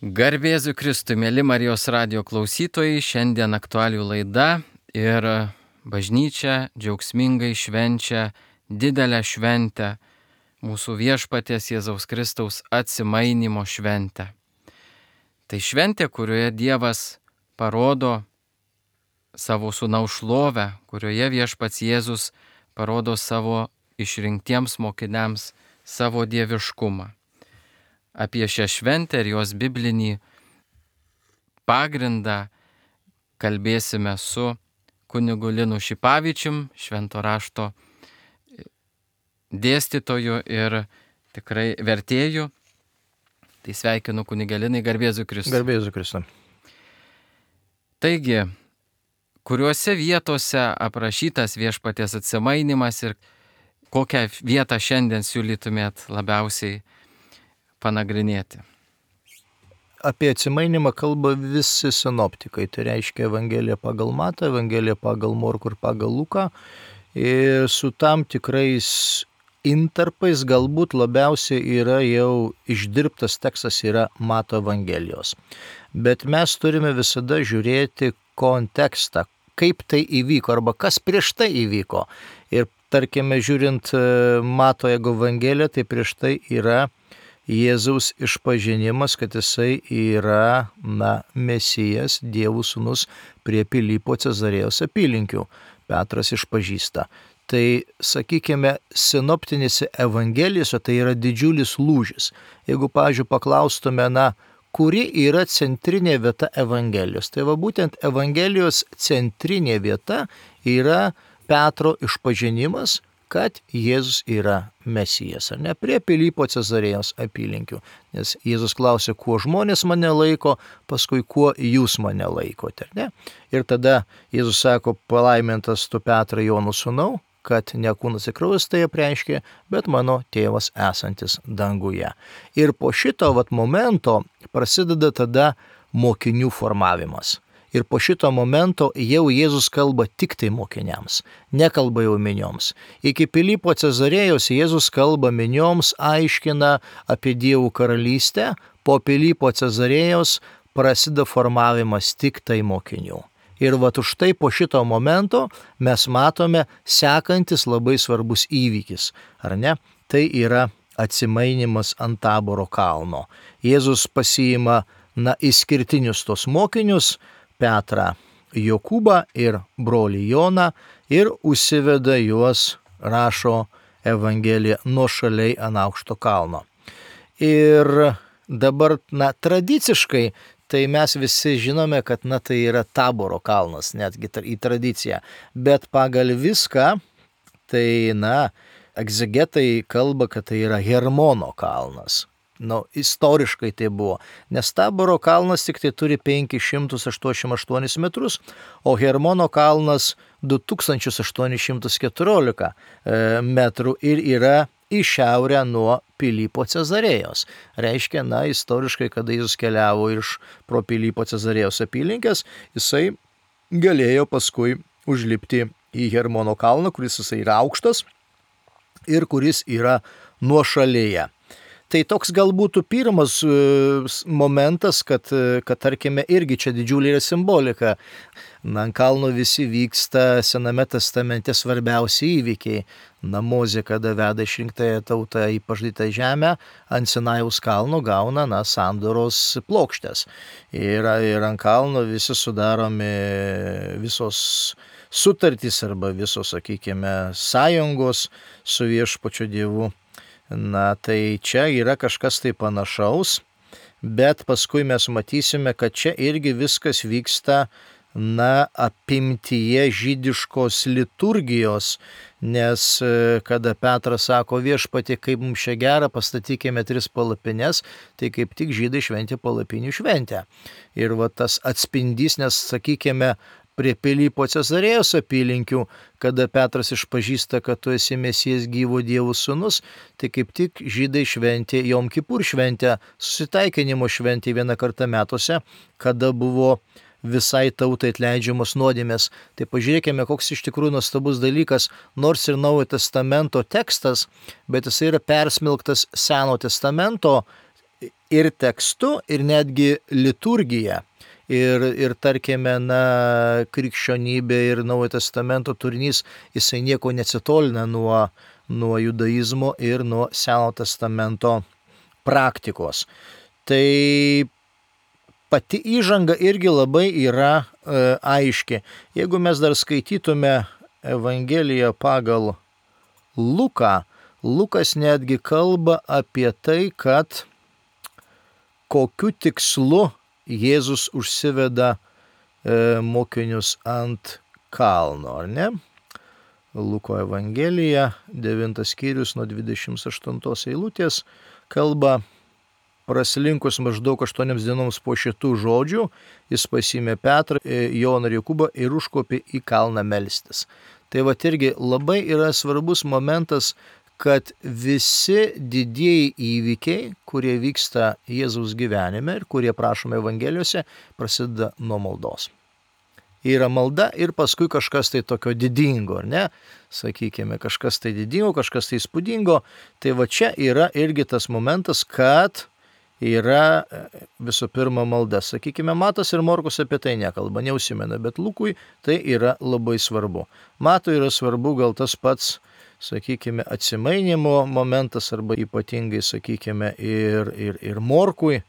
Garbėzu Kristui, mėly Marijos radijo klausytojai, šiandien aktualių laida ir bažnyčia džiaugsmingai švenčia didelę šventę, mūsų viešpaties Jėzaus Kristaus atsimainimo šventę. Tai šventė, kurioje Dievas parodo savo sūnaus šlovę, kurioje viešpats Jėzus parodo savo išrinktiems mokiniams savo dieviškumą. Apie šią šventę ir jos biblinį pagrindą kalbėsime su kunigu Linu Šipavičium, švento rašto dėstytoju ir tikrai vertėju. Tai sveikinu kunigą Linai, garbėzu Kristui. Garbėzu Kristui. Taigi, kuriuose vietose aprašytas viešpaties atsimainimas ir kokią vietą šiandien siūlytumėt labiausiai panagrinėti? Apie atsimainimą kalba visi sinoptikai, tai reiškia Evangelija pagal Matą, Evangelija pagal Morkų ir pagal Luką. Ir su tam tikrais intarpais galbūt labiausiai yra jau išdirbtas tekstas yra Mato Evangelijos. Bet mes turime visada žiūrėti kontekstą, kaip tai įvyko arba kas prieš tai įvyko. Ir tarkime, žiūrint Mato Evangeliją, tai prieš tai yra Jėzaus išpažinimas, kad jisai yra Mesijas, Dievo sūnus prie Pilypo Cezarėjos apylinkių. Petras išpažįsta. Tai, sakykime, sinoptinėse evangelijose tai yra didžiulis lūžis. Jeigu, pavyzdžiui, paklaustume, kuri yra centrinė vieta Evangelijos, tai va būtent Evangelijos centrinė vieta yra Petro išpažinimas, kad Jėzus yra Mesijas, ar ne, prie Pilypo Cezarėjos apylinkių. Nes Jėzus klausė, kuo žmonės mane laiko, paskui kuo jūs mane laikote, ar ne? Ir tada Jėzus sako, palaimintas tu Petrai Jono sūnau, kad ne kūnas ir kraujas tai apreiškė, bet mano tėvas esantis danguje. Ir po šito momento prasideda tada mokinių formavimas. Ir po šito momento jau Jėzus kalba tik tai mokiniams, nekalba jau minioms. Iki Pilypo Cezarėjos Jėzus kalba minioms, aiškina apie Dievo karalystę, po Pilypo Cezarėjos prasideda formavimas tik tai mokinių. Ir už tai po šito momento mes matome sekantis labai svarbus įvykis, ar ne? Tai yra atsimainimas ant Taboro kalno. Jėzus pasiima išskirtinius tos mokinius, Petrą, Jokūbą ir brolį Joną ir užsiveda juos, rašo Evangelija, nuošaliai ant aukšto kalno. Ir dabar, tradiciškai, tai mes visi žinome, kad tai yra Taboro kalnas, netgi į tradiciją. Bet pagal viską, tai egzegetai kalba, kad tai yra Hermono kalnas. Istoriškai tai buvo, nes Taboro kalnas tik tai turi 588 metrus, o Hermono kalnas 2814 metrų ir yra į šiaurę nuo Pilypo Cezarėjos. Reiškia, istoriškai, kada Jėzus keliavo pro Pilypo Cezarėjos apylinkės, jisai galėjo paskui užlipti į Hermono kalną, kuris jisai yra aukštas ir kuris yra nuošalėje. Tai toks gal būtų pirmas momentas, kad tarkime, irgi čia didžiulė yra simbolika. Ant kalno visi vyksta Sename testamente svarbiausi įvykiai. Mozė, kada veda išrinktąją tautą į pažadytą žemę, ant Sinajaus kalno gauna sandoros plokštės. Ir ant kalno visi sudaromi visos sutartys arba visos, sakykime, sąjungos su viešpačiu Dievu. Tai čia yra kažkas tai panašaus, bet paskui mes matysime, kad čia irgi viskas vyksta apimtyje žydiškos liturgijos, nes kada Petras sako viešpatie, kaip mums čia gera, pastatykime 3 palapines, tai kaip tik žydai šventė palapinių šventę. Ir tas atspindys, nes sakykime, prie Pilypo Cezarėjos apylinkių, kada Petras išpažįsta, kad tu esi Mesijas gyvo Dievo sūnus, tai kaip tik žydai šventė Jom Kipur šventę, susitaikinimo šventė vieną kartą metuose, kada buvo visai tautai atleidžiamos nuodėmės. Tai pažiūrėkime, koks iš tikrųjų nuostabus dalykas, nors ir Naujojo testamento tekstas, bet jis yra persmelktas Seno testamento ir tekstu, ir netgi liturgija. Ir tarkime, krikščionybė ir Naujojo Testamento turinys, jisai nieko neatsitolina nuo judaizmo ir nuo Senojo Testamento praktikos. Tai pati įžanga irgi labai yra aiški. Jeigu mes dar skaitytume Evangeliją pagal Luką, Lukas netgi kalba apie tai, kad kokiu tikslu Jėzus užsiveda mokinius ant kalno, ar ne? Luko Evangelija, 9 skyrius nuo 28 eilutės, kalba: praslinkus maždaug 8 dienoms po šitų žodžių, jis pasiėmė Petrą, Joną ir Jokūbą ir užkopė į kalną melstis. Tai va irgi labai yra svarbus momentas, kad visi didieji įvykiai, kurie vyksta Jėzaus gyvenime ir kurie prašome Evangelijose, prasideda nuo maldos. Yra malda ir paskui kažkas tai tokio didingo, ar ne? Sakykime, kažkas tai didingo, kažkas tai įspūdingo. Tai va čia yra irgi tas momentas, kad yra visų pirma malda. Sakykime, Matas ir Morkus apie tai nekalba, neužsimena, bet Lukui tai yra labai svarbu. Matui yra svarbu gal tas pats, sakykime, atsimainimo momentas, arba ypatingai, sakykime, ir Morkui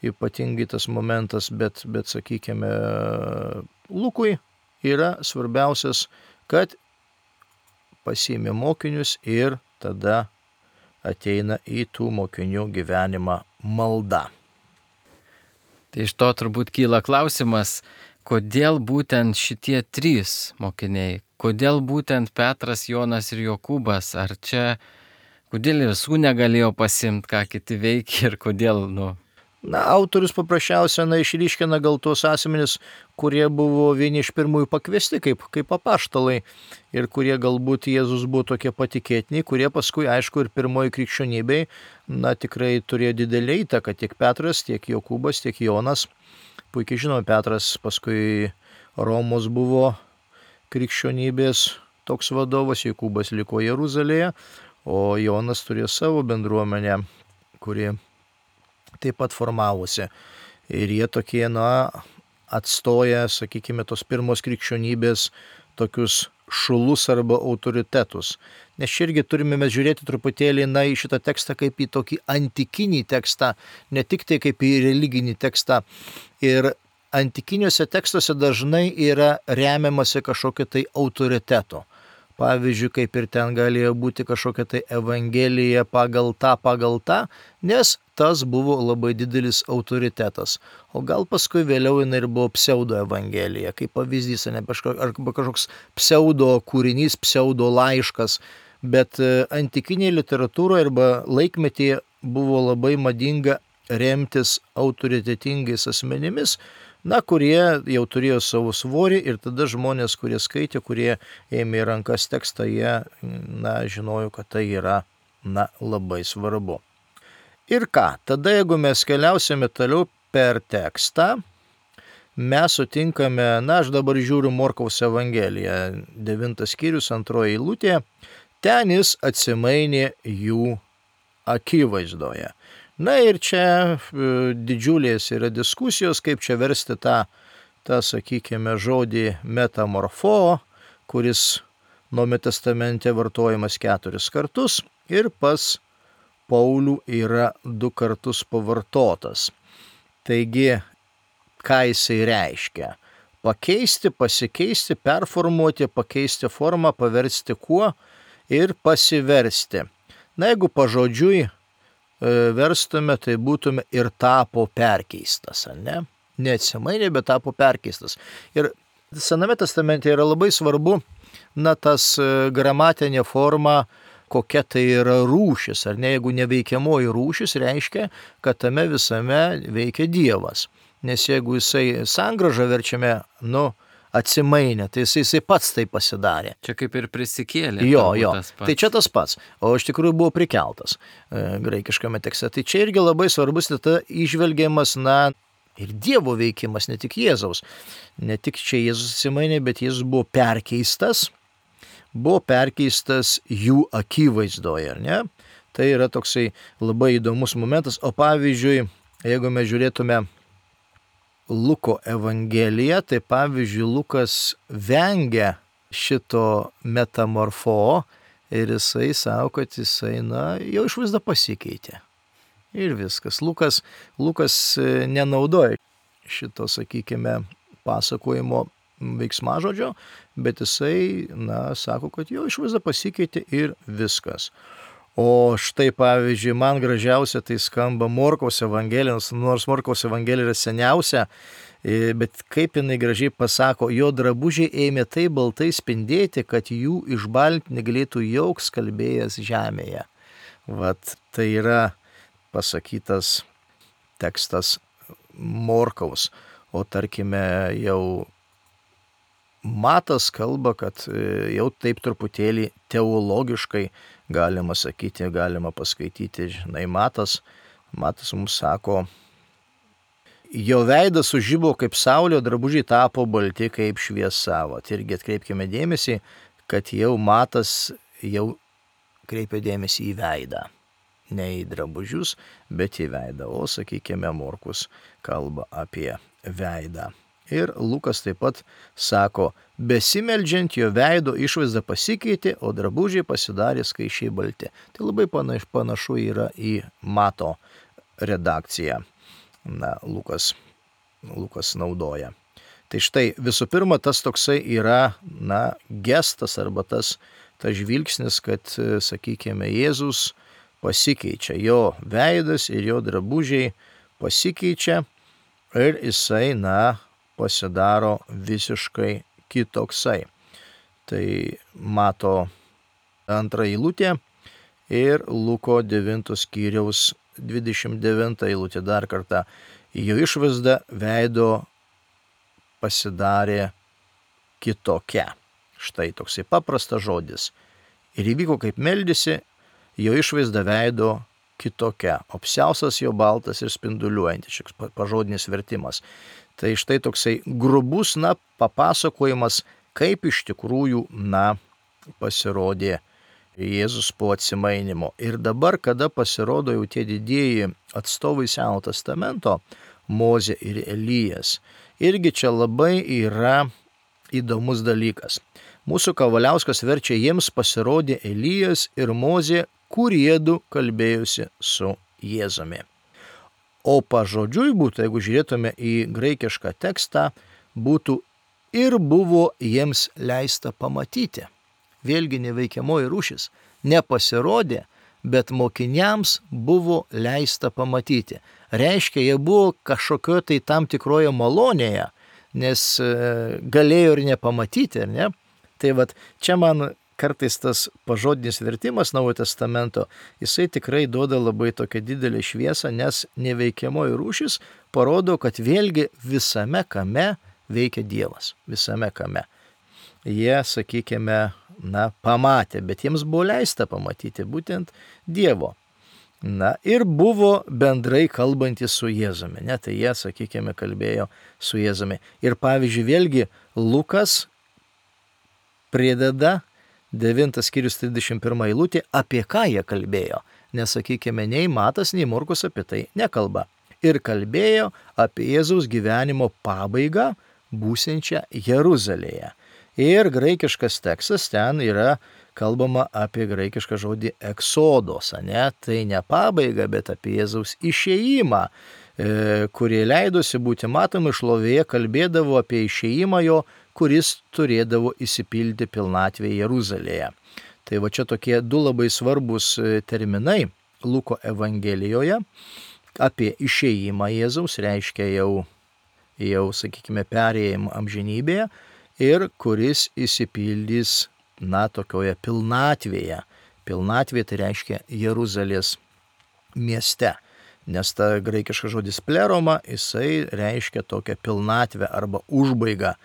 ypatingai tas momentas, bet sakykime, Lukui yra svarbiausias, kad pasiėmė mokinius ir tada ateina į tų mokinių gyvenimą malda. Tai iš to turbūt kyla klausimas, kodėl būtent šitie 3 mokiniai, kodėl būtent Petras, Jonas ir Jokūbas, ar čia, kodėl visų negalėjo pasimti, ką kiti veikia ir kodėl, Autorius paprasčiausiai išryškina gal tuos asmenis, kurie buvo vieni iš pirmųjų pakviesti kaip apaštalai ir kurie galbūt Jėzus buvo tokie patikėtiniai, kurie paskui, aišku, ir pirmoji krikščionybei, tikrai turėjo didelį įtaką, tiek Petras, tiek Jokūbas, tiek Jonas. Puikiai žinome, Petras paskui Romos buvo krikščionybės toks vadovas, Jokūbas liko Jeruzalėje, o Jonas turėjo savo bendruomenę, kuri taip pat formavosi. Ir jie tokie, atstoja, sakykime, tos pirmos krikščionybės tokius šulus arba autoritetus. Nes čia irgi turime mes žiūrėti truputėlį į šitą tekstą kaip į tokį antikinį tekstą, ne tik tai kaip į religinį tekstą. Ir antikiniuose tekstuose dažnai yra remiamasi kažkokio tai autoriteto. Pavyzdžiui, kaip ir ten galėjo būti kažkokia tai Evangelija pagal tą, nes tas buvo labai didelis autoritetas. O gal paskui vėliau jinai ir buvo pseudo Evangelija, kaip pavyzdys, arba kažkoks pseudo kūrinys, pseudo laiškas. Bet antikinėje literatūroje arba laikmetyje buvo labai madinga remtis autoritetingais asmenimis, kurie jau turėjo savo svorį, ir tada žmonės, kurie skaitė, kurie ėmė į rankas tekstą, jie žinojo, kad tai yra labai svarbu. Ir ką, tada jeigu mes keliausime toliau per tekstą, mes sutinkame, aš dabar žiūriu Morkaus Evangeliją, 9 skyrius, 2 eilutė, ten jis atsimainė jų akivaizdoje. Ir čia didžiulės yra diskusijos, kaip čia versti tą sakykime, žodį metamorfo, kuris Naujame testamente vartojamas 4 kartus ir pas Paulių yra 2 kartus pavartotas. Taigi, ką jisai reiškia? Pakeisti, pasikeisti, performuoti, pakeisti formą, paversti kuo ir pasiversti. Jeigu pažodžiui verstume, tai būtume ir tapo perkeistas, ne? Neatsimainė, bet tapo perkeistas. Ir Sename testamente yra labai svarbu, tas gramatinė forma, kokia tai yra rūšis, ar ne? Jeigu neveikiamoji rūšis, reiškia, kad tame visame veikia Dievas. Nes jeigu jisai sangrąžą verčiame, atsimainė, tai jisai pats tai pasidarė. Čia kaip ir prisikėlė. Jo. Tai čia tas pats, o iš tikrųjų buvo prikeltas graikiškame tekste. Tai čia irgi labai svarbus tada įžvelgiamas, ir Dievo veikimas, ne tik Jėzaus. Ne tik čia Jėzus atsimainė, bet Jėzus buvo perkeistas jų akivaizdoje, ar ne? Tai yra toksai labai įdomus momentas. O pavyzdžiui, jeigu mes žiūrėtume Luko Evangeliją, tai pavyzdžiui, Lukas vengia šito metamorfo ir jisai sako, kad jisai, jau išvaizda pasikeitė. Ir viskas. Lukas nenaudoja šito, sakykime, pasakojimo veiksmažodžio, bet jisai, sako, kad jo išvaizda pasikeitė ir viskas. O štai, pavyzdžiui, man gražiausia tai skamba Morkaus Evangelija, nors Morkaus Evangelija yra seniausia, bet kaip jinai gražiai pasako, jo drabužiai ėmė taip baltai spindėti, kad jų išbalinti negalėtų joks kalbėjęs žemėje. Vat tai yra pasakytas tekstas Morkaus, o tarkime jau Matas kalba, kad jau taip truputėlį teologiškai galima sakyti, galima paskaityti, Matas mums sako, jo veidas sužibo kaip saulė, drabužiai tapo balti kaip šviesa. Vat irgi atkreipkime dėmesį, kad jau Matas jau kreipia dėmesį į veidą. Ne į drabužius, bet į veidą. O, sakykime, Morkus kalba apie veidą. Ir Lukas taip pat sako, besimeldžiant jo veido išvaizda pasikeitė, o drabužiai pasidarė skaisčiai balti. Tai labai panašu yra į Mato redakciją. Lukas naudoja. Tai štai visų pirma tas toksai yra, gestas arba tas žvilgsnis, kad, sakykime, Jėzus pasikeičia, jo veidas ir jo drabužiai pasikeičia ir jisai, pasidaro visiškai kitoksai. Tai Mato 2 eilutė ir Luko 9 skyriaus 29 eilutė dar kartą. Jo išvaizda veido pasidarė kitokia. Štai toksai paprastas žodis. Ir įvyko, kaip meldėsi, jo išvaizda veido kitokia. Apsiaustas jo baltas ir spinduliuojantis, šis pažodinis vertimas. Tai štai toksai grubus, papasakojimas, kaip iš tikrųjų, pasirodė Jėzus po atsimainymo. Ir dabar, kada pasirodo jau tie didieji atstovai Seno testamento, Mozė ir Elijas, irgi čia labai yra įdomus dalykas. Mūsų Kavaliauskas verčia, jiems pasirodė Elijas ir Mozė, kuriedu kalbėjusi su Jėzumi. O pažodžiui būtų, jeigu žiūrėtume į graikišką tekstą, būtų ir buvo jiems leista pamatyti. Vėlgi neveikiamoji rūšis. Nepasirodė, bet mokiniams buvo leista pamatyti. Reiškia, jie buvo kažkokio tai tam tikroje malonėje, nes galėjo ir nepamatyti, ar ne? Tai vat čia man kartais tas pažodinis vertimas Naujojo testamento, jisai tikrai duoda labai tokią didelę šviesą, nes neveikiamoji rūšis parodo, kad vėlgi visame kame veikia Dievas. Visame kame. Jie, sakykime, pamatė, bet jiems buvo leista pamatyti būtent Dievo. Ir buvo bendrai kalbantys su Jėzumi. Tai jie, sakykime, kalbėjo su Jėzumi. Ir pavyzdžiui, vėlgi Lukas prideda 9 skyrius 31 eilutė, apie ką jie kalbėjo. Nes, sakykime, nei Matas, nei Morkus apie tai nekalba. Ir kalbėjo apie Jėzaus gyvenimo pabaigą būsiančią Jeruzalėje. Ir graikiškas tekstas ten yra kalbama apie graikišką žodį eksodos, Tai ne pabaiga, bet apie Jėzaus išėjimą, kurie leidosi būti matomi šlovėje, kalbėdavo apie išėjimą jo, kuris turėdavo įsipildyti pilnatvėje Jeruzalėje. Tai va čia tokie du labai svarbus terminai Luko Evangelijoje apie išėjimą Jėzaus, reiškia jau sakykime, perėjimą amžinybėje, ir kuris įsipildys, tokioje pilnatvėje. Pilnatvė tai reiškia Jeruzalės mieste, nes ta graikiška žodis pleroma, jisai reiškia tokią pilnatvę arba užbaigą.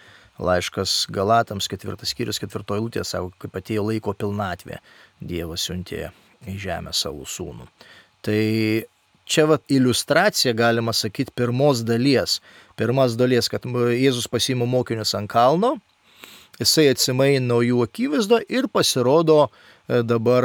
Laiškas Galatams 4 skyrius 4 eilutė sako, kaip atėjo laiko pilnatvė, Dievas siuntė į žemę savo sūnų. Tai čia iliustracija, galima sakyti, pirmos dalies. Pirmas dalies, kad Jėzus pasiima mokinius ant kalno, jisai atsimaino jų akivaizdo ir pasirodo dabar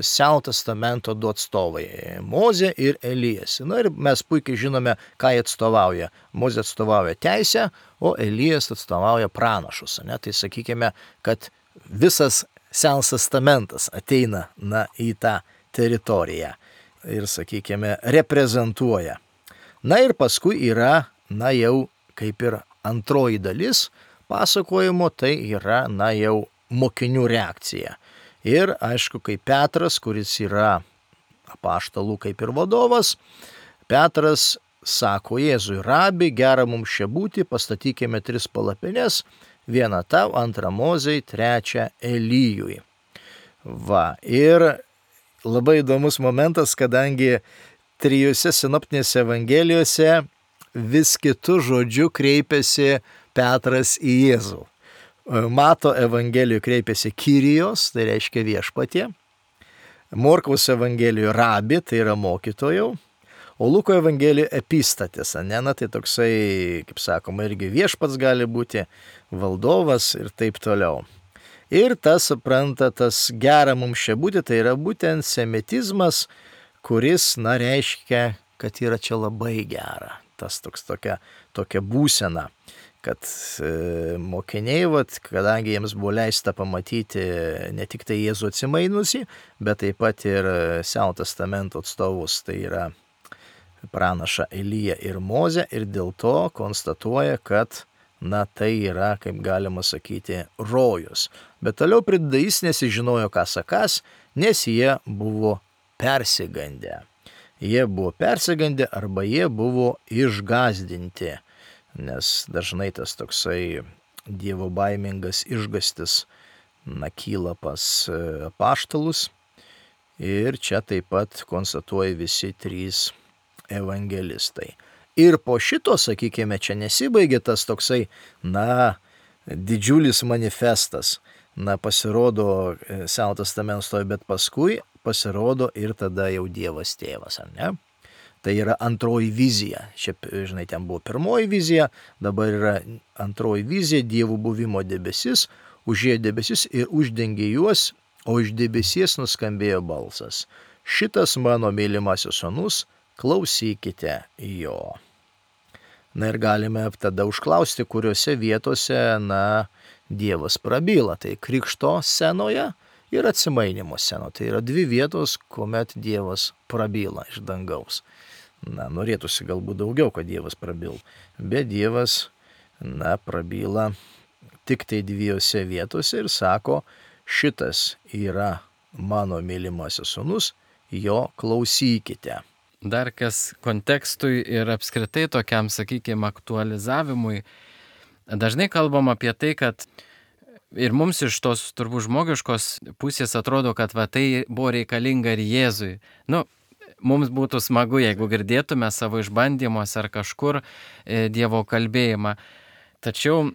Seno testamento du atstovai - Mozė ir Elijas. Na ir mes puikiai žinome, ką jie atstovauja. Mozė atstovauja teisę, o Elijas atstovauja pranašus. Ne? Tai sakykime, kad visas Senas testamentas ateina į tą teritoriją ir, sakykime, reprezentuoja. Na ir paskui yra, jau kaip ir antroji dalis pasakojimo, tai yra, jau mokinių reakcija. Ir aišku, kaip Petras, kuris yra apaštalų kaip ir vadovas, Petras sako Jėzui: Rabi, gera mums čia būti, pastatykime 3 palapines, vieną tau, antrą Mozei, trečią Elijui. Va, ir labai įdomus momentas, kadangi 3 sinoptinėse evangelijose vis kitų žodžių kreipiasi Petras į Jėzų. Mato evangelijoje kreipiasi Kyrijos, tai reiškia viešpatie. Morkaus evangelijoje Rabi, tai yra mokytojau. O Luko evangelijoje epistatis, tai toksai, kaip sakoma, irgi viešpats gali būti, valdovas ir taip toliau. Ir tas, supranta, tas gera mums čia būti, tai yra būtent semitizmas, kuris, reiškia, kad yra čia labai gera. Tas tokia būsena, kad mokiniai, kadangi jiems buvo leista pamatyti ne tik tai Jėzų atsimainusi, bet taip pat ir Seno testamento atstovus, tai yra pranašą Eliją ir Mozę, ir dėl to konstatuoja, kad tai yra, kaip galima sakyti, rojus. Bet toliau prideda, jis nesižinojo, ką sakas, nes jie buvo persigandę. Jie buvo persigandę arba jie buvo išgąsdinti, nes dažnai tas toksai dievo baimingas išgąstis kyla pas apaštalus. Ir čia taip pat konstatuoja visi 3 evangelistai. Ir po šito, sakykime, čia nesibaigė tas toksai, didžiulis manifestas, pasirodo Seno testamento, bet paskui pasirodo ir tada jau Dievas tėvas, ar ne? Tai yra antroji vizija. Šiaip, žinai, ten buvo pirmoji vizija, dabar yra antroji vizija, Dievo buvimo debesis, užėjo debesis ir uždengė juos, o iš debesies nuskambėjo balsas: Šitas mano mylimasis sūnus, klausykite jo. Ir galime tada užklausti, kuriuose vietose, Dievas prabyla. Tai krikšto scenoje ir atsimainymo scenoje. Tai yra 2 vietos, kuomet Dievas prabyla iš dangaus. Norėtųsi galbūt daugiau, kad Dievas prabyl, bet Dievas, prabyla tik tai 2 vietose ir sako: Šitas yra mano mylimasis sūnus, jo klausykite. Dar kas kontekstui ir apskritai tokiam, sakykime, aktualizavimui, dažnai kalbam apie tai, kad ir mums iš tos turbūt žmogiškos pusės atrodo, kad tai buvo reikalinga ir Jėzui. Mums būtų smagu, jeigu girdėtume savo išbandymuose ar kažkur Dievo kalbėjimą. Tačiau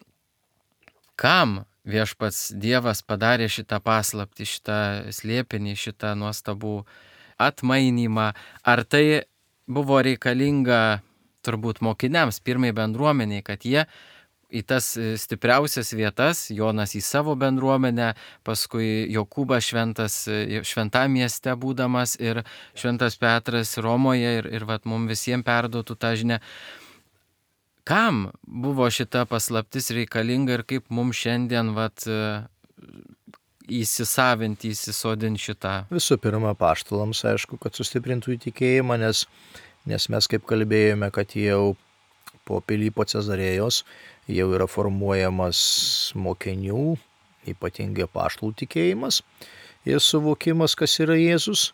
kam viešpats Dievas padarė šitą paslaptį, šitą slėpinį, šitą nuostabų atmainymą? Ar tai buvo reikalinga turbūt mokiniams, pirmai bendruomeniai, kad jie į tas stipriausias vietas, Jonas į savo bendruomenę, paskui Jokūbas šventam mieste būdamas ir šventas Petras Romoje ir mums visiems perduotų tą žinią. Kam buvo šita paslaptis reikalinga ir kaip mums šiandien įsisavinti, įsisodinti šitą? Visų pirma, apaštalams, aišku, kad sustiprintų įtikėjimą, nes mes kaip kalbėjome, kad jau po Pilypo Cezarėjos jau yra formuojamas mokinių, ypatingai apaštalų tikėjimas ir suvokimas, kas yra Jėzus.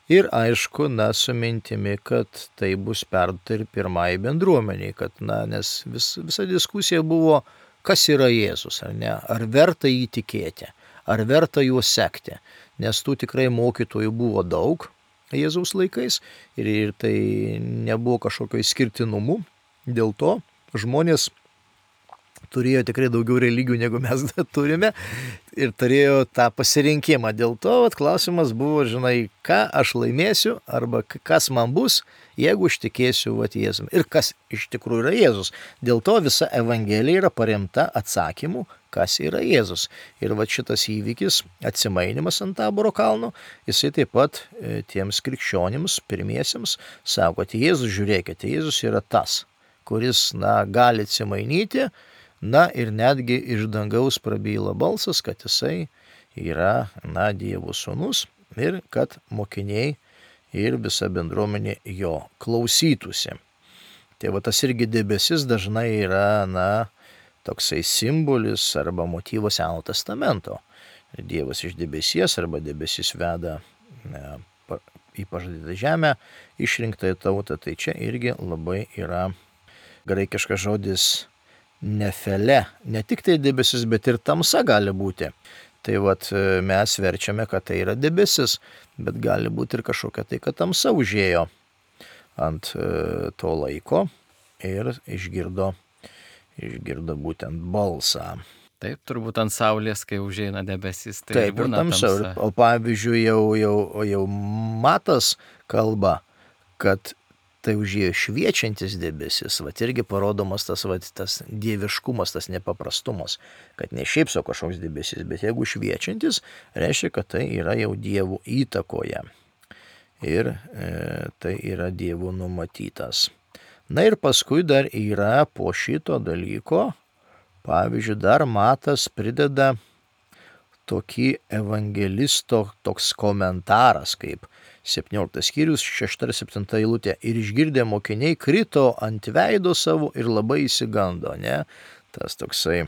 Ir aišku, su mintimi, kad tai bus perduota ir pirmai bendruomeniai, kad, nes visa diskusija buvo, kas yra Jėzus, ar ne, ar verta jį tikėti, ar verta juo sekti, nes tų tikrai mokytojų buvo daug Jėzaus laikais ir tai nebuvo kažkokio išskirtinumų, dėl to žmonės turėjo tikrai daugiau religijų, negu mes turime, ir turėjo tą pasirinkimą. Dėl to klausimas buvo, žinai, ką aš laimėsiu, arba kas man bus, jeigu aš tikėsiu Jėzumi. Ir kas iš tikrųjų yra Jėzus. Dėl to visa Evangelija yra paremta atsakymu, kas yra Jėzus. Ir va šitas įvykis, atsimainimas ant Taboro kalno, jisai taip pat tiems krikščionims, pirmiesiems, sako, kad Jėzus, žiūrėkite, Jėzus yra tas, kuris, gali atsimainyti, ir netgi iš dangaus prabyla balsas, kad jisai yra, Dievo sūnus ir kad mokiniai ir visa bendruomenė jo klausytųsi. Tai va tas irgi debesis dažnai yra, toksai simbolis arba motyvas Seno testamento. Dievas iš debesies arba debesis veda į pažadytą žemę išrinktąją tautą. Tai čia irgi labai yra graikiškas žodis nefele. Ne tik tai debesis, bet ir tamsa gali būti. Tai vat mes verčiame, kad tai yra debesis, bet gali būti ir kažkokia tai, kad tamsa užėjo ant to laiko ir išgirdo būtent balsą. Taip, turbūt ant saulės, kai užeina debesis, tai taip, būna tamsa. O pavyzdžiui, jau Matas kalba, kad tai užėjo šviečiantis debesis, irgi parodomas tas dieviškumas, tas nepaprastumas, kad ne šiaip sau kažkoks debesis, bet jeigu šviečiantis, reiškia, kad tai yra jau Dievo įtakoje ir tai yra Dievo numatytas. Ir paskui dar yra po šito dalyko, pavyzdžiui, dar Matas prideda tokį evangelisto toks komentaras, kaip 17 skyrius, 6-7 eilutė. Ir išgirdę mokiniai krito ant veido savo ir labai įsigando, ne? Tas toksai,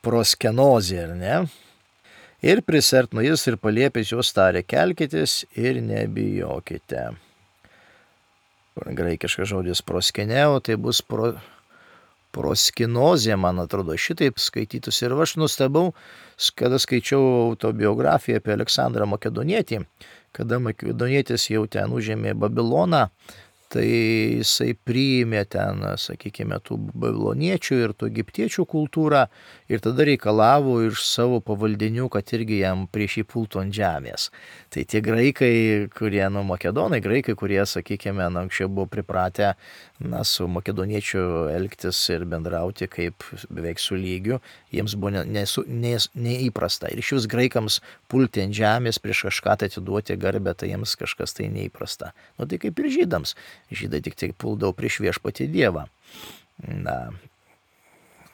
proskenozė, ne? Ir prisertino jis ir paliepęs juos tarė, kelkitės ir nebijokite. Graikiškas žodis proskeneo, tai bus proskinozė, man atrodo, šitaip skaitytus. Ir aš nustebau, kada skaičiau autobiografiją apie Aleksandrą Makedonietį, kada Makedonietis jau ten užėmė Babiloną, tai jisai priėmė ten, sakykime, tų babiloniečių ir tų egiptiečių kultūrą ir tada reikalavo iš savo pavaldinių, kad irgi jam prieš jį pultų ant žemės. Tai tie graikai, kurie, makedonai, graikai, kurie, sakykime, anksčiau buvo pripratę, su makedoniečiu elgtis ir bendrauti kaip beveik su lygiu, jiems buvo neįprasta. Ir iš vis graikams pulti ant žemės prieš kažką tai atiduoti garbę, tai jiems kažkas tai neįprasta. Tai kaip ir žydams. Žydai tik tai puldavo prieš viešpatį Dievą.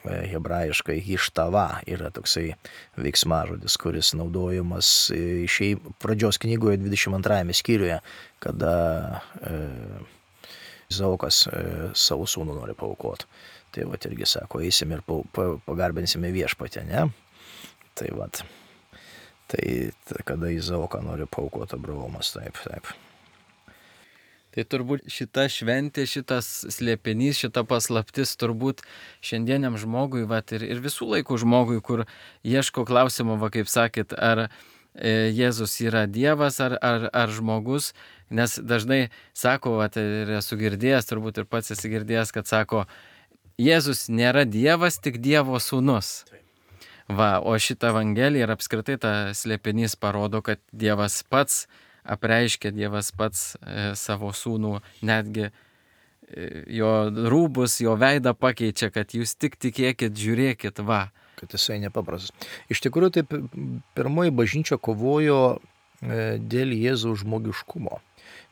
Hebrajiškai hištava yra toksai veiksmažodis, kuris naudojamas pradžios knygoje 22 skyriuje, kada Izaokas savo sūnų nori paaukoti. Tai irgi sako, eisim ir pagarbinsime viešpatį, ne? Tai kada Izaoką nori paaukoti Abraomas, taip. Tai turbūt šita šventė, šitas slėpinys, šita paslaptis turbūt šiandieniam žmogui, ir visų laikų žmogui, kur ieško klausimo, kaip sakėt, ar Jėzus yra Dievas ar žmogus, nes dažnai sako, ir esu girdėjęs, turbūt ir pats esi girdėjęs, kad sako, Jėzus nėra Dievas, tik Dievo sūnus. O šitą Evangeliją ir apskritai tą slėpinys parodo, kad Dievas pats apreiškia, Dievas pats savo sūnų, netgi jo rūbus, jo veidą pakeičia, kad jūs tik tikėkit, žiūrėkit, Kad jisai nepaprastas. Iš tikrųjų, taip pirmoji bažnyčia kovojo dėl Jėzaus žmogiškumo.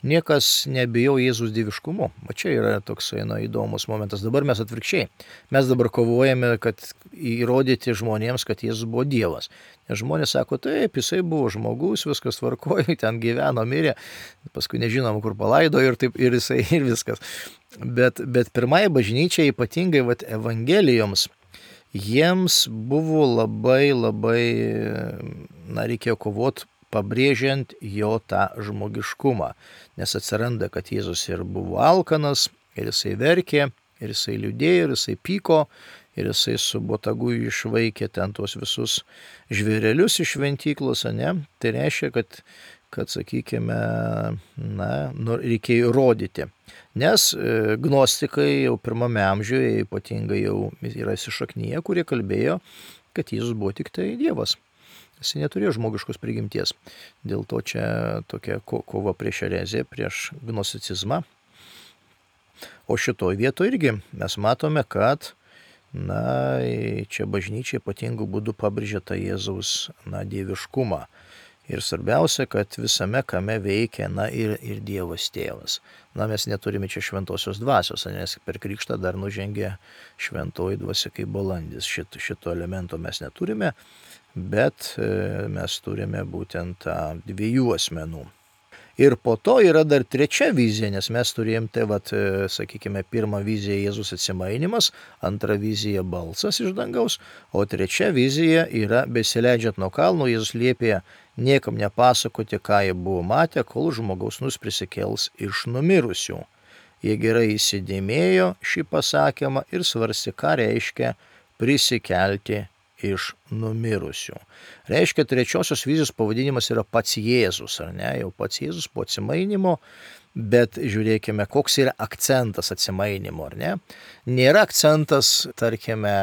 Niekas nebijo Jėzus dieviškumu. Čia yra toksai įdomus momentas. Dabar mes atvirkščiai. Mes dabar kovojame, kad įrodyti žmonėms, kad Jėzus buvo Dievas. Nes žmonės sako, taip, jisai buvo žmogus, viskas tvarkojo, ten gyveno, mirė, paskui nežinom, kur palaidojo ir jisai ir viskas. Bet pirmąją bažnyčią, ypatingai evangelijoms, jiems buvo labai, reikėjo kovoti, pabrėžiant jo tą žmogiškumą. Nes atsiranda, kad Jėzus ir buvo alkanas, ir jisai verkė, ir jisai liūdėjo, ir jisai pyko, ir jisai su botagu išvaikė ten tuos visus žvėrelius iš šventyklos, ne? Tai reiškia, kad sakykime, reikėjo įrodyti. Nes gnostikai jau pirmame amžiuje ypatingai jau yra įsišaknyje, kurie kalbėjo, kad Jėzus buvo tik tai Dievas. Jis neturėjo žmogiškos prigimties. Dėl to čia tokia kova prieš ereziją, prieš gnosticizmą. O šitoj vietoje irgi mes matome, kad Čia bažnyčia ypatingų būdų pabrėžia tą Jėzaus, dieviškumą. Ir svarbiausia, kad visame kame veikia, ir Dievas tėvas. Mes neturime čia šventosios dvasios, nes per krikštą dar nužengė šventoji dvasia kaip balandis. Šito elemento mes neturime, bet mes turime būtent tą dviejų asmenų. Ir po to yra dar trečia vizija, nes mes turėjom sakykime, pirmą viziją Jėzus atsimainimas, antra vizija balsas iš dangaus, o trečia vizija yra besileidžiant nuo kalno, Jėzus liepė niekam nepasakoti, ką jie buvo matę, kol žmogaus sūnus prisikels iš numirusių. Jie gerai įsidėmėjo šį pasakymą ir svarstė, ką reiškia prisikelti iš numirusių. Reiškia, trečiosios vizijos pavadinimas yra pats Jėzus, ar ne? Jau pats Jėzus po atsimainimo, bet žiūrėkime, koks yra akcentas atsimainimo, ar ne? Nėra akcentas, tarkime,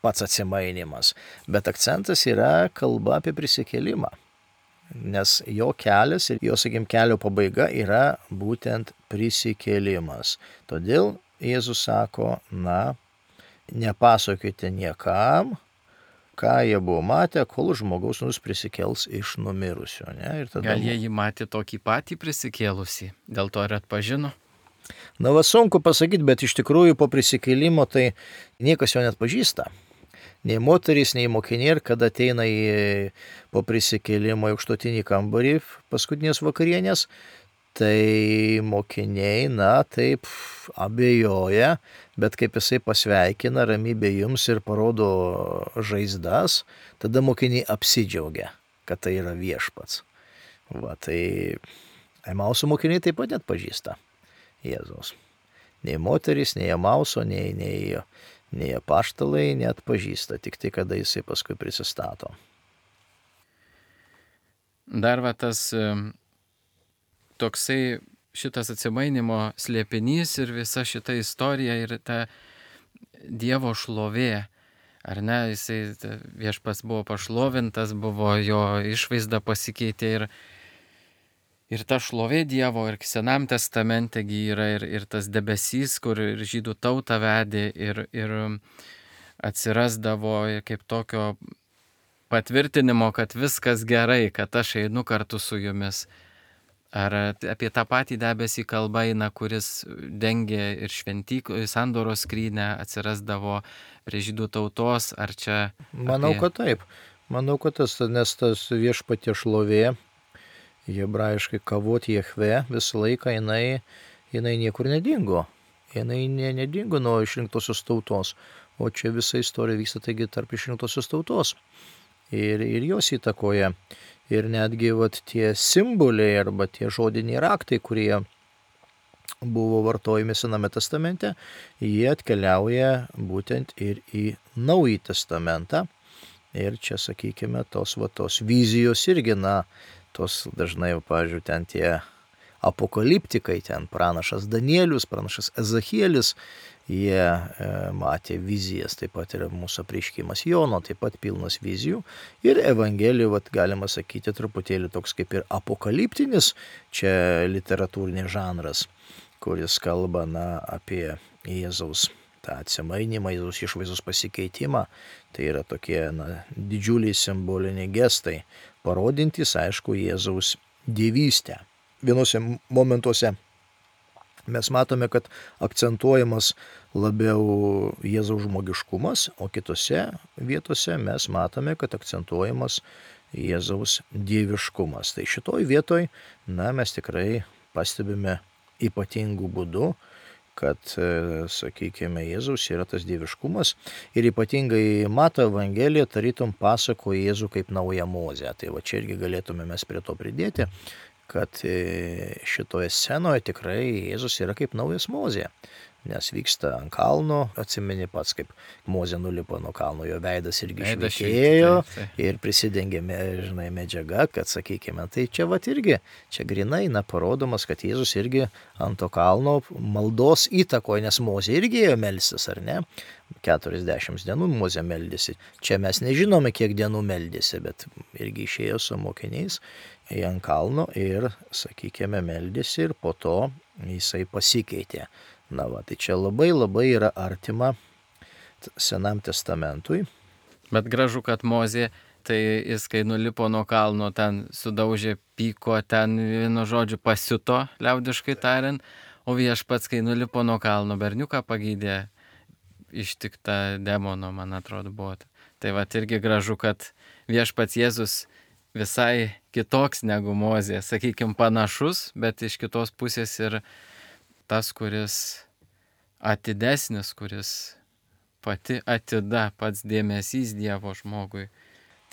pats atsimainimas, bet akcentas yra kalba apie prisikėlimą. Nes jo kelias ir jo, kelio pabaiga yra būtent prisikėlimas. Todėl Jėzus sako, nepasakokite niekam, ką jie buvo matę, kol žmogaus sūnus prisikels iš numirusių. Ir tada... Gal jie jį matė tokį patį prisikėlusį, dėl to ir atpažino? Sunku pasakyti, bet iš tikrųjų po prisikėlimo tai niekas jo net pažįsta. Nei moterys, nei mokiniai, ir kada ateina po prisikėlimo į aukštutinį kambarį paskutinės vakarienės, tai mokiniai, taip abejoja, bet kaip jisai pasveikina, ramybė jums ir parodo žaizdas, tada mokiniai apsidžiaugia, kad tai yra viešpats. Tai Emauso mokiniai taip pat net pažįsta Jėzaus. Nei moterys, nei Emauso, nei apaštalai net pažįsta, tik tai kada jisai paskui prisistato. Dar tas... toksai šitas atsimainimo slėpinys ir visa šita istorija ir ta Dievo šlovė, ar ne, viešpats buvo pašlovintas, buvo jo išvaizda pasikeitė ir ta šlovė Dievo ir Senam testamente yra ir tas debesys, kur ir žydų tautą vedė ir atsirasdavo kaip tokio patvirtinimo, kad viskas gerai, kad aš einu kartu su jumis. Ar apie tą patį debesį kalba eina, kuris dengė ir sandoros skrynę, atsirasdavo prie žydų tautos, ar čia... Manau, kad taip. Manau, kad nes tas viešpatie šlovė, hebrajiškai kavot Jehve, visą laiką jinai niekur nedingo. Jinai nedingo nuo išrinktosios tautos, o čia visa istorija vyksta taigi tarp išrinktosios tautos. Ir jos įtakoja. Ir netgi tie simboliai arba tie žodiniai raktai, kurie buvo vartojami Sename testamente, jie atkeliauja būtent ir į Naująjį testamentą. Ir čia, sakykime, tos vizijos irgi, tos dažnai, pavyzdžiui, ten tie apokaliptikai, ten pranašas Danielius, pranašas Ezachielis, jie matė vizijas, taip pat ir mūsų apreiškimas Jono, taip pat pilnas vizijų. Ir Evangelija, galima sakyti, truputėlį toks kaip ir apokaliptinis, čia literatūrinis žanras, kuris kalba apie Jėzaus tą atsimainimą, Jėzaus išvaizdos pasikeitimą. Tai yra tokie didžiuliai simboliniai gestai, parodintys, aišku, Jėzaus dievystę. Vienose momentuose mes matome, kad akcentuojamas labiau Jėzaus žmogiškumas, o kitose vietose mes matome, kad akcentuojamas Jėzaus dieviškumas. Tai šitoj vietoj, mes tikrai pastebime ypatingų būdų, kad, sakykime, Jėzaus yra tas dieviškumas ir ypatingai Mato Evangelija tarytum pasako Jėzų kaip naują Mozę. Tai čia irgi galėtume mes prie to pridėti, kad šitoje scenoje tikrai Jėzus yra kaip naujas Mozė, nes vyksta ant kalno, atsimeni pats, kaip Mozė nulipo nuo kalno, jo veidas irgi švytėjo ir prisidengė medžiaga, kad, sakykime, tai čia irgi, čia grinai parodomas, kad Jėzus irgi ant to kalno maldos įtakoje, nes Mozė irgi ėjo melstis, ar ne? 40 dienų Mozė meldėsi. Čia mes nežinome, kiek dienų meldėsi, bet irgi išėjo su mokiniais ant kalno ir, sakykime, meldėsi ir po to jisai pasikeitė. Tai čia labai yra artima Senam testamentui. Bet gražu, kad Mozė, tai jis kai nulipo nuo kalno, ten sudaužė, pyko, ten vienu žodžiu pasiuto, liaudiškai tariant, o Viešpats, kai nulipo nuo kalno, berniuką pagydė, ištikta demono, man atrodo, buvo. Tai va irgi gražu, kad Viešpats Jėzus visai kitoks negu Mozė, sakykime, panašus, bet iš kitos pusės ir tas, kuris atidesnis, kuris pati atida, pats dėmesys Dievo žmogui.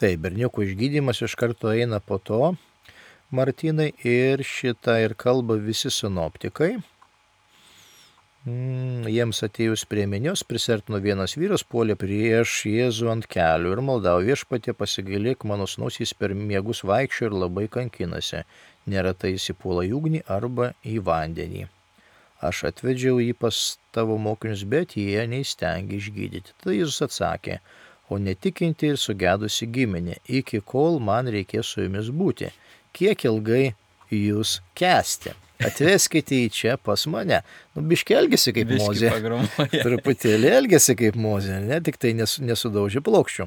Tai berniukų išgydymas iš karto eina po to, Martynai, ir šitą ir kalba visi sinoptikai. Jiems atėjus prie minios, prisertino vienas vyras, puolė prieš Jėzų ant kelių ir maldavo: Viešpatie, pasigailėk mano sūnaus, jis per miegus vaikščioja ir labai kankinasi, neretai įsipuola į ugnį arba į vandenį. Aš atvedžiau jį pas tavo mokinius, bet jie neįstengė išgydyti. Tada Jėzus atsakė: o netikinti ir sugedusi giminė, iki kol man reikės su jumis būti, kiek ilgai jūs kęsti? Atveskite į čia pas mane. Biškį elgėsi kaip Mozė. Truputėlį elgėsi kaip Mozė, ne tik tai nesudaužė plokščių.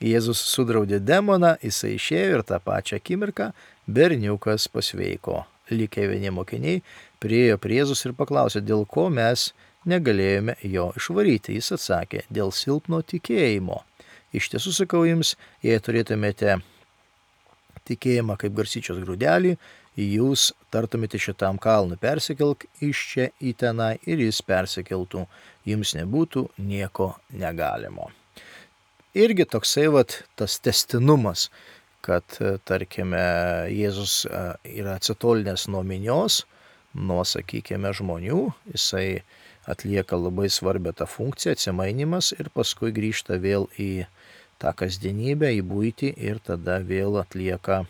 Jėzus sudraudė demoną, jisai išėjo ir tą pačią akimirką berniukas pasveiko. Likę vieni mokiniai priėjo prie Jėzus ir paklausė, dėl ko mes negalėjome jo išvaryti. Jis atsakė, dėl silpno tikėjimo. Iš tiesų sakau jums, jei turėtumėte tikėjimą kaip garstyčios grūdelį, jūs tartumėte šitam kalnui, persikelk iš čia į tenai ir jis persikeltų, jums nebūtų nieko negalimo. Irgi toksai tas tęstinumas, kad, tarkime, Jėzus yra atsitolinęs nuo minios, nuo, sakykime, žmonių, jisai atlieka labai svarbią tą funkciją, atsimainimas, ir paskui grįžta vėl į tą kasdienybę, į buitį ir tada vėl atlieka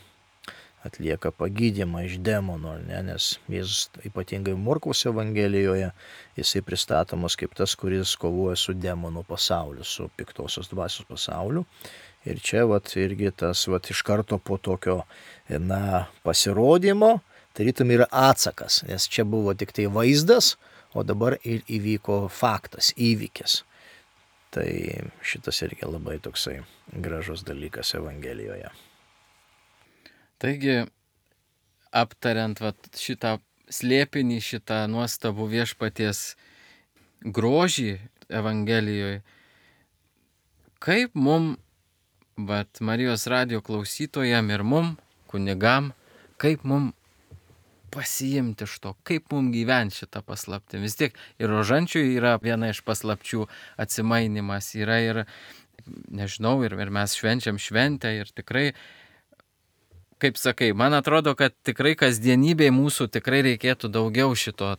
pagydymą iš demonų, nes Jėzus ypatingai Morkaus Evangelijoje jisai pristatomas kaip tas, kuris kovoja su demonų pasauliu, su piktosios dvasios pasauliu. Ir čia irgi tas iš karto po tokio pasirodymo, tarytum yra atsakas, nes čia buvo tik tai vaizdas, o dabar ir įvyko faktas, įvykis. Tai šitas irgi labai toksai gražus dalykas Evangelijoje. Taigi, aptariant šitą slėpinį, šitą nuostabų Viešpaties grožį Evangelijoje, kaip mum, Marijos radijo klausytojam ir mum, kunigam, kaip mum pasiimti iš to, kaip mum gyventi šitą paslaptį. Vis tiek ir rožančiui yra viena iš paslapčių atsimainimas, yra ir, nežinau, ir mes švenčiam šventę ir tikrai, kaip sakai, man atrodo, kad tikrai kasdienybėje mūsų tikrai reikėtų daugiau šito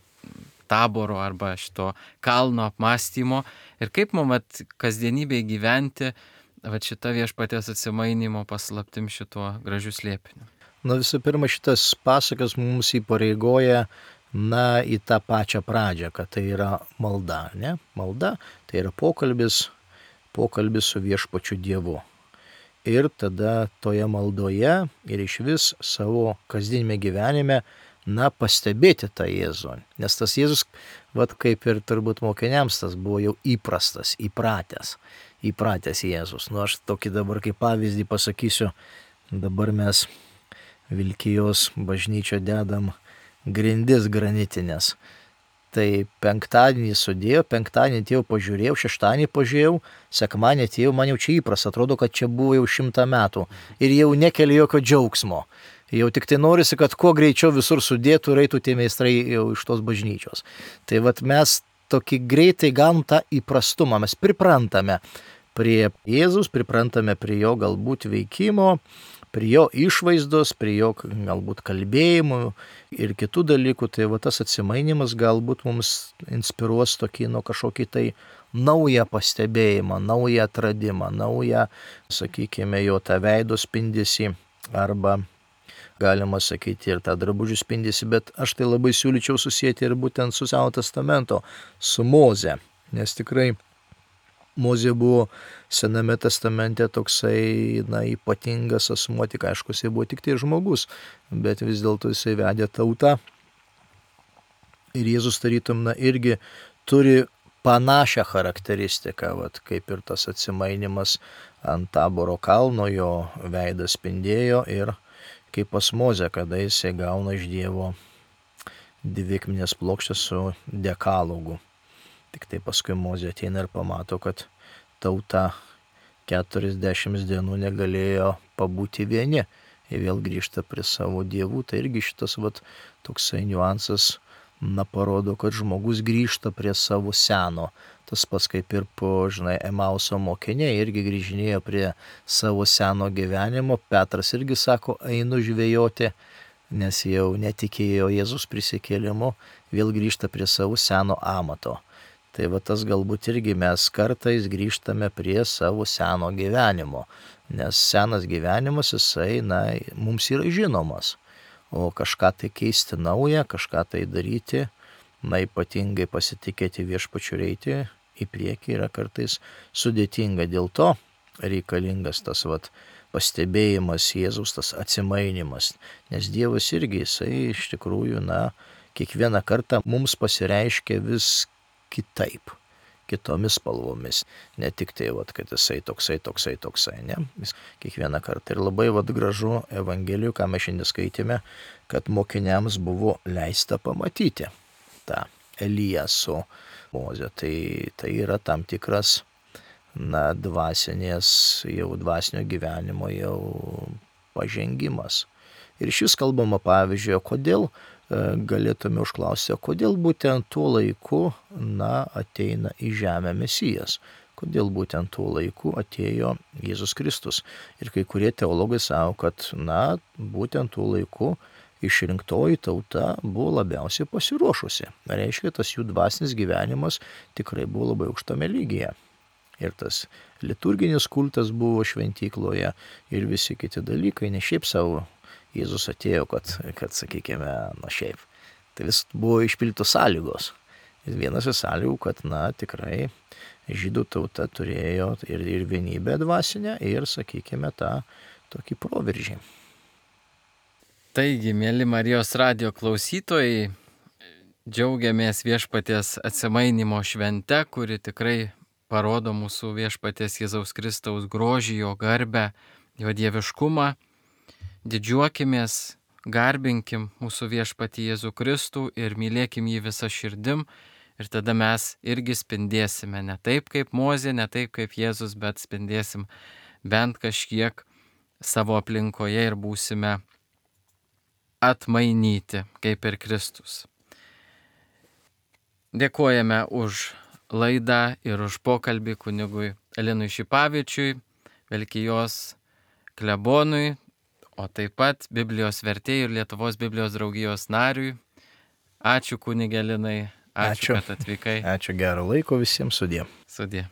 taboro arba šito kalno apmąstymo ir kaip mums kasdienybėje gyventi šitą Viešpaties atsimainimo paslaptim šituo gražiu slėpiniu. Visų pirma, šitas pasakas mums įpareigoja į tą pačią pradžią, kad tai yra malda, ne? Malda tai yra pokalbis su Viešpačiu Dievu. Ir tada toje maldoje ir išvis savo kasdienime gyvenime, pastebėti tą Jėzų. Nes tas Jėzus, kaip ir turbūt mokiniams, tas buvo jau įprastas, įpratęs Jėzus. Aš tokį dabar kaip pavyzdį pasakysiu, dabar mes Vilkijos bažnyčio dedam grindis granitinės. Tai penktadienį sudėjau, penktadienį atėjau pažiūrėjau, šeštadienį pažiūrėjau, sekmadienį atėjau, man jau čia įprasta, atrodo, kad čia buvo jau 100 metų ir jau nekelia jokio džiaugsmo. Jau tik tai norisi, kad kuo greičiau visur sudėtų ir eitų tie meistrai jau iš tos bažnyčios. Tai mes tokį greitai gaunam tą įprastumą, mes priprantame prie Jėzus, priprantame prie jo galbūt veikimo, prie jo išvaizdos, prie jo galbūt kalbėjimų ir kitų dalykų. Tai tas atsimainimas galbūt mums inspiruos tokį kažkokį tai naują pastebėjimą, naują atradimą, naują, sakykime, jo tą veido spindesį arba galima sakyti ir tą drabužių spindesį, bet aš tai labai siūlyčiau susijęti ir būtent su Senojo testamento, su Moze, nes tikrai Mozė buvo Sename testamente toksai, ypatingas asmuo, tik aišku, jisai buvo tik tai žmogus, bet vis dėlto jisai vedė tautą. Ir Jėzus tarytum, irgi turi panašią charakteristiką, vat, kaip ir tas atsimainimas ant Taboro kalno, jo veidas spindėjo ir kaip pas Mozę, kada jisai gauna iš Dievo dvi akmenės plokštės su dekalogu. Tik tai paskui Mozė ateina ir pamato, kad tauta 40 dienų negalėjo pabūti vieni. Jie vėl grįžta prie savo dievų. Tai irgi šitas toksai niuansas parodo, kad žmogus grįžta prie savo seno. Tas pats kaip ir Emauso mokiniai irgi grįžinėjo prie savo seno gyvenimo. Petras irgi sako, einu žvejoti, nes jau netikėjo Jėzus prisikėlimu, vėl grįžta prie savo seno amato. Tai tas galbūt irgi mes kartais grįžtame prie savo seno gyvenimo, nes senas gyvenimas jisai, mums yra žinomas, o kažką tai keisti naują, kažką tai daryti, ypatingai pasitikėti viešpačiu ir eiti į priekį yra kartais sudėtinga, dėl to reikalingas tas pastebėjimas Jėzaus, tas atsimainimas, nes Dievas irgi jisai iš tikrųjų, kiekvieną kartą mums pasireiškia vis kitaip, kitomis spalvomis, ne tik tai, kad jisai toksai, ne? Jis kiekvieną kartą ir labai gražu Evangelijų, ką mes šiandien skaitėme, kad mokiniams buvo leista pamatyti tą Eliją su Moze. Tai yra tam tikras, dvasinio gyvenimo jau pažengimas. Ir šis kalbama pavyzdžiui, kodėl galėtume užklausti, kodėl būtent tuo laiku, ateina į žemę Mesijas. Kodėl būtent tuo laiku atėjo Jėzus Kristus. Ir kai kurie teologai sako, kad, būtent tuo laiku išrinktoji tauta buvo labiausiai pasiruošusi. Reiškia, tas jų dvasinis gyvenimas tikrai buvo labai aukštame lygyje. Ir tas liturginis kultas buvo šventykloje ir visi kiti dalykai, ne šiaip savo Jėzus atėjo, kad sakykime, šiaip. Tai vis buvo išpildytos sąlygos. Ir vienas iš sąlygų, kad, tikrai žydų tauta turėjo ir vienybę dvasinę, ir, sakykime, tą tokį proveržį. Taigi, mėly Marijos radijo klausytojai, džiaugiamės Viešpaties atsimainimo švente, kuri tikrai parodo mūsų Viešpaties Jėzaus Kristaus grožį, jo garbę, jo dieviškumą. Didžiuokimės, garbinkim mūsų Viešpatį Jėzų Kristų ir mylėkim jį visą širdim, ir tada mes irgi spindėsime ne taip kaip Mozė, ne taip kaip Jėzus, bet spindėsim bent kažkiek savo aplinkoje ir būsime atmainyti kaip ir Kristus. Dėkojame už laidą ir už pokalbį kunigui Linui Šipavičiui, Velkijos klebonui, o taip pat Biblijos vertėjui ir Lietuvos Biblijos draugijos nariui. Ačiū kunige Linai, ačiū, kad atvykai. Ačiū, gero laiko visiems, sudie. Sudie.